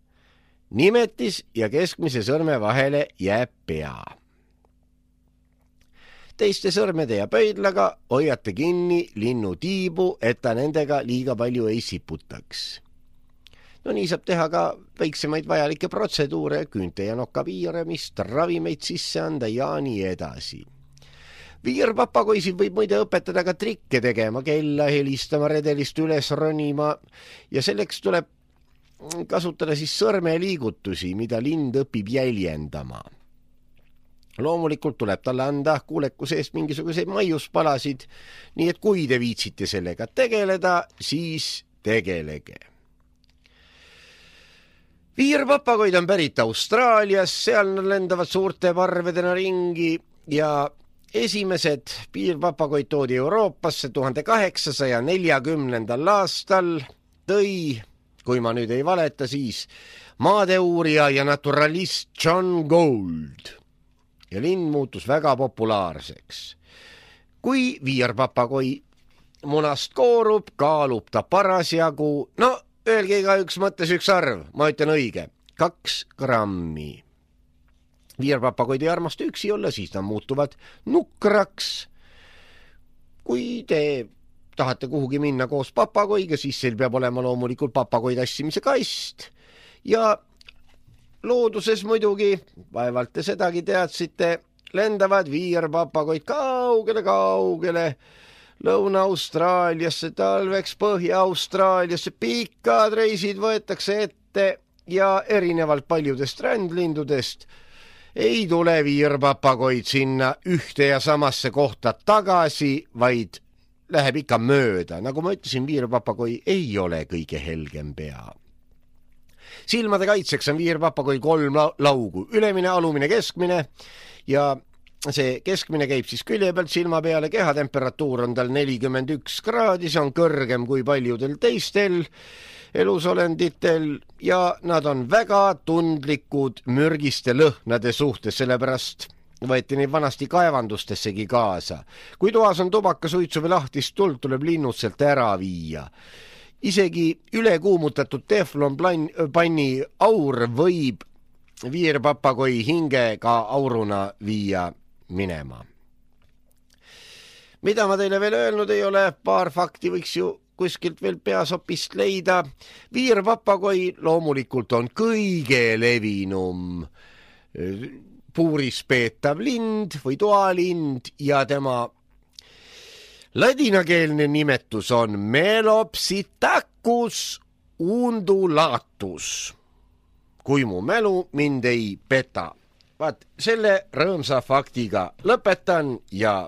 Nimetis ja keskmise sõrme vahele jääb pea. Teiste sõrmede ja pöidlaga hoiate kinni linnu tiibu, et ta nendega liiga palju ei siputaks. No nii saab teha ka väiksemaid vajalikke protseduure, küünte ja noka piiramist, ravimeid sisse anda ja nii edasi. Viirpapagoisid võib muide õpetada ka trikke tegema, kella helistama, redelist üles ronima ja selleks tuleb kasutada siis sõrmeliigutusi, mida lind õpib jäljendama. Loomulikult tuleb talle anda kuulekuse eest mingisuguseid maiuspalasid, nii et kui te viitsite sellega tegeleda, siis tegelege. Viirpapagoid on pärit Austraalias, seal nad lendavad suurte parvedena ringi ja esimesed viirpapagoid toodi Euroopasse tuhande kaheksasaja neljakümnendal aastal, tõi, kui ma nüüd ei valeta, siis maadeurija ja naturalist John Gould ja linn muutus väga populaarseks. Kui viirpapagoi munast koorub, kaalub ta parasjagu, no öelge igaüks mõttes üks arv, ma ütlen õige, kaks grammi. Viirpapagoid ei armasta üksi olla, siis nad muutuvad nukraks. Kui te tahate kuhugi minna koos papagoiga, siis seal peab olema loomulikult papagoi tassimise kast. Ja looduses muidugi, vaevalt te sedagi teadsite, lendavad viirpapagoid kaugele-kaugele Lõuna-Austraaliasse, talveks Põhja-Austraaliasse, pikad reisid võetakse ette ja erinevalt paljudest rändlindudest ei tule viirpapagoid sinna ühte ja samasse kohta tagasi, vaid läheb ikka mööda. Nagu ma ütlesin, viirpapagoi ei ole kõige helgem pea. Silmade kaitseks on viirpapagoi kolm laugu, ülemine, alumine, keskmine ja see keskmine käib siis külje pealt silma peale, kehatemperatuur on tal nelikümmend üks kraadi, see on kõrgem kui paljudel teistel elusolenditel ja nad on väga tundlikud mürgiste lõhnade suhtes, sellepärast võeti neid vanasti kaevandustessegi kaasa. Kui toas on tubakasuitsu või lahtist tuld, tuleb linnud sealt ära viia. Isegi ülekuumutatud teflon panni aur võib viirpapagoi hinge ka auruna viia minema. Mida ma teile veel öelnud ei ole, paar fakti võiks ju kuskilt veel peasopist leida. Viirpapagoi loomulikult on kõige levinum puuris peetav lind või toalind ja tema ladinakeelne nimetus on Melopsitacus undulatus. Kui mu mälu mind ei peta. Vaat, selle rõõmsa faktiga lõpetan ja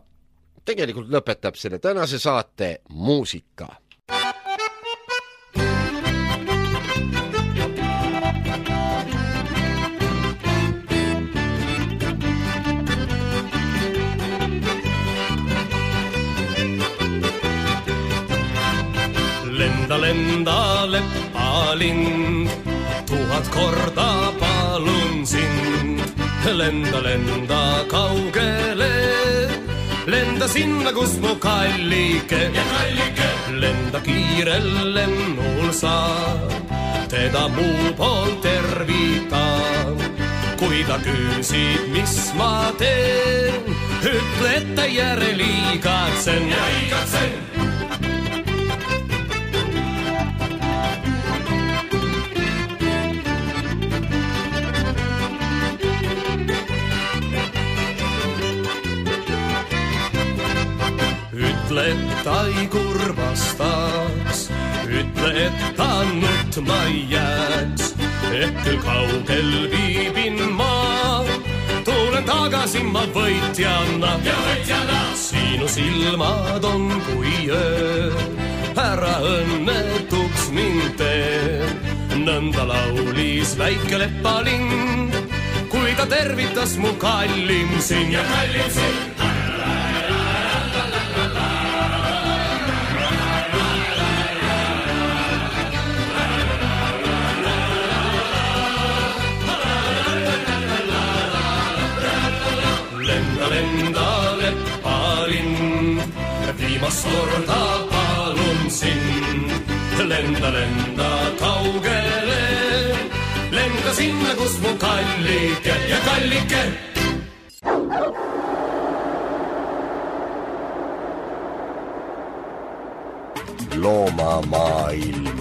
tegelikult lõpetab selle tänase saate muusika. Lenda, lenda, leppalind, tuhat korda palun sind. Lenda, lenda kaugele, lenda sinna, kus mu kallike. Ja kallike. Lenda kiirel lennul saab, teda muu poolt tervitan. Kui ta küsib, mis ma teen, ütle, et ta järel igatsen. Ja igatsen. Ütle, et ta ei kurvastaks, ütle, et ta nutma ei jääks, et küll kaugel viibin ma, tulen tagasi ma võitjana. Ja võitjana! Sinu silmad on kui öö, ära õnnetuks mind teeb. Nõnda laulis väike lepalind, kui ta tervitas mu kallim siin ja kallim siin. Lenda, lenda, lepalind, viimast korda palun sind. Lenda, lenda kaugele, lenda sinna, kus mu kallike ja kallike. Loomamaailm.